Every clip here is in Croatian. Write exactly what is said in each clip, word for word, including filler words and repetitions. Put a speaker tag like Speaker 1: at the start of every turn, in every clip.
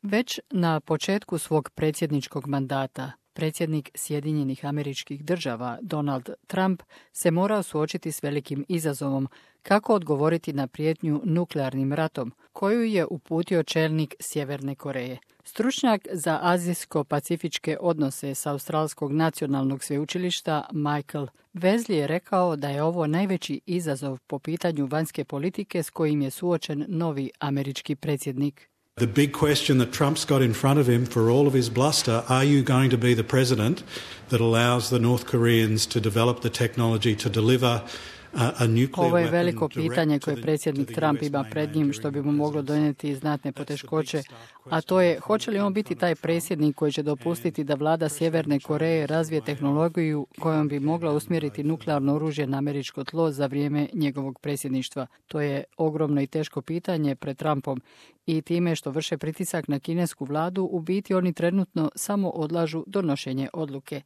Speaker 1: Već na početku svog predsjedničkog mandata, predsjednik Sjedinjenih Američkih Država Donald Trump se morao suočiti s velikim izazovom kako odgovoriti na prijetnju nuklearnim ratom koju je uputio čelnik Sjeverne Koreje. Stručnjak za azijsko-pacifičke odnose s Australskog nacionalnog sveučilišta Michael Wesley je rekao da je ovo najveći izazov po pitanju vanjske politike s kojim je suočen novi američki predsjednik.
Speaker 2: The big question that Trump's got in front of him for all of his bluster, are you going to be the president that allows the North Koreans to develop the technology to deliver a nuclear weapon?
Speaker 1: Ovo je veliko pitanje koje predsjednik Trump ima pred njim, što bi mu moglo donijeti znatne poteškoće, a to je hoće li on biti taj predsjednik koji će dopustiti da vlada Sjeverne Koreje razvije tehnologiju kojom bi mogla usmjeriti nuklearno oružje na američko tlo za vrijeme njegovog predsjedništva. To je ogromno i teško pitanje pred Trumpom i time što vrše pritisak na kinesku vladu, u biti oni trenutno samo odlažu donošenje odluke.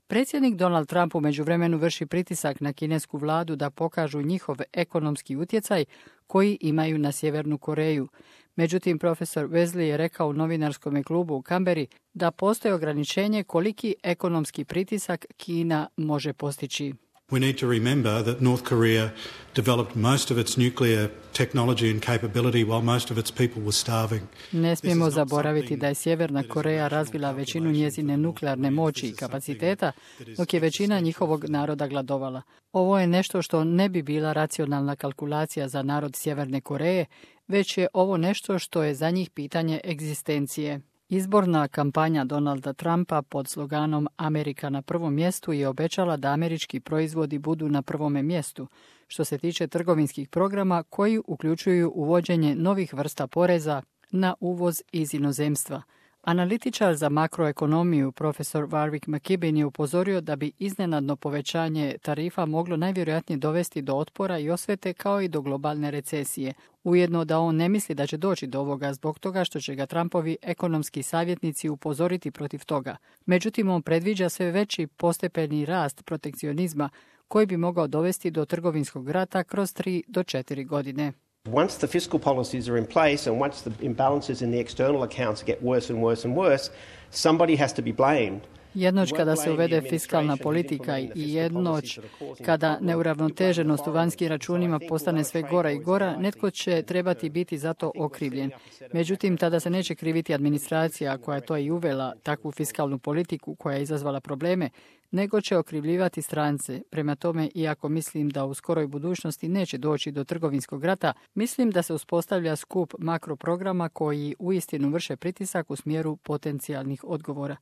Speaker 1: Predsjednik Donald Trump u međuvremenu vrši pritisak na kinesku vladu da pokažu njihov ekonomski utjecaj koji imaju na Sjevernu Koreju. Međutim, profesor Wesley je rekao u novinarskom klubu u Canberri da postoji ograničenje koliki ekonomski pritisak Kina može postići.
Speaker 2: We need to remember that North Korea developed most of its nuclear technology and capability while most of its people were starving.
Speaker 1: Ne smijemo zaboraviti da je Sjeverna Koreja razvila većinu njezine nuklearne moći i kapaciteta, dok je većina njihovog naroda gladovala. Ovo je nešto što ne bi bila racionalna kalkulacija za narod Sjeverne Koreje, već je ovo nešto što je za njih pitanje egzistencije. Izborna kampanja Donalda Trumpa pod sloganom Amerika na prvom mjestu je obećala da američki proizvodi budu na prvome mjestu, što se tiče trgovinskih programa koji uključuju uvođenje novih vrsta poreza na uvoz iz inozemstva. Analitičar za makroekonomiju profesor Warwick McKibben je upozorio da bi iznenadno povećanje tarifa moglo najvjerojatnije dovesti do otpora i osvete kao i do globalne recesije. Ujedno da on ne misli da će doći do ovoga zbog toga što će ga Trumpovi ekonomski savjetnici upozoriti protiv toga. Međutim, on predviđa sve veći postepeni rast protekcionizma koji bi mogao dovesti do trgovinskog rata kroz tri do četiri godine.
Speaker 3: Once the fiscal policies are in place and once the imbalances in the external accounts get worse and worse and worse, somebody has to be blamed.
Speaker 1: Jednoć kada se uvede fiskalna politika i jednoć kada neuravnoteženost u vanjskim računima postane sve gora i gora, netko će trebati biti za to okrivljen. Međutim, tada se neće kriviti administracija koja je to i uvela takvu fiskalnu politiku koja je izazvala probleme, nego će okrivljivati strance. Prema tome, iako mislim da u skoroj budućnosti neće doći do trgovinskog rata, mislim da se uspostavlja skup makroprograma koji uistinu vrše pritisak u smjeru potencijalnih odgovora.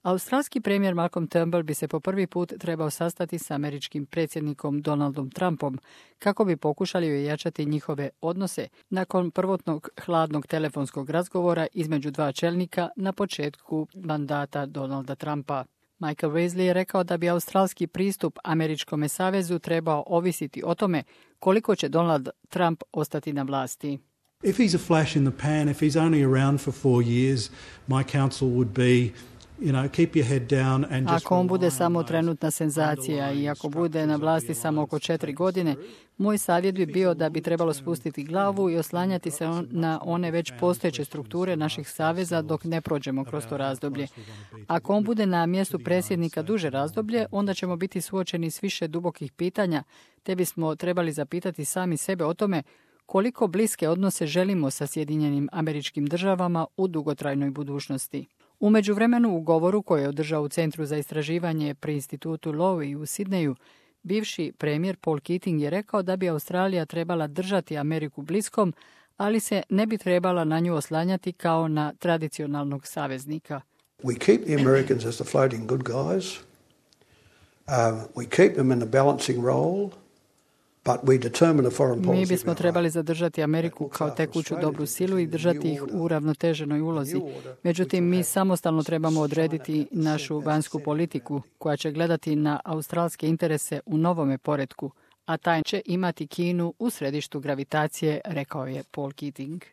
Speaker 1: Australski premijer Malcolm Turnbull bi se po prvi put trebao sastati s američkim predsjednikom Donaldom Trumpom kako bi pokušali ojačati njihove odnose nakon prvotnog hladnog telefonskog razgovora između dva čelnika na početku mandata Donalda Trumpa. Michael Wesley je rekao da bi australski pristup Američkome savezu trebao ovisiti o tome koliko će Donald Trump ostati na vlasti.
Speaker 2: If he's a flash in the pan, if he's only around for four years, my counsel would be You know, keep your head down and just
Speaker 1: ako on bude samo trenutna senzacija i ako bude na vlasti samo oko četiri godine, moj savjet bi bio da bi trebalo spustiti glavu i oslanjati se on, na one već postojeće strukture naših saveza dok ne prođemo kroz to razdoblje. Ako on bude na mjestu predsjednika duže razdoblje, onda ćemo biti suočeni s više dubokih pitanja, te bismo trebali zapitati sami sebe o tome koliko bliske odnose želimo sa Sjedinjenim Američkim Državama u dugotrajnoj budućnosti. U međuvremenu u govoru koji je održao u Centru za istraživanje pri institutu Lowy u Sidneju, bivši premijer Paul Keating je rekao da bi Australija trebala držati Ameriku bliskom, ali se ne bi trebala na nju oslanjati kao na tradicionalnog saveznika.
Speaker 4: We keep the Americans as the floating good guys. Uh, we keep them in a balancing role.
Speaker 1: Mi bismo trebali zadržati Ameriku kao tekuću dobru silu i držati ih u ravnoteženoj ulozi. Međutim, mi samostalno trebamo odrediti našu vanjsku politiku koja će gledati na australske interese u novome poretku, a taj će imati Kinu u središtu gravitacije, rekao je Paul Keating.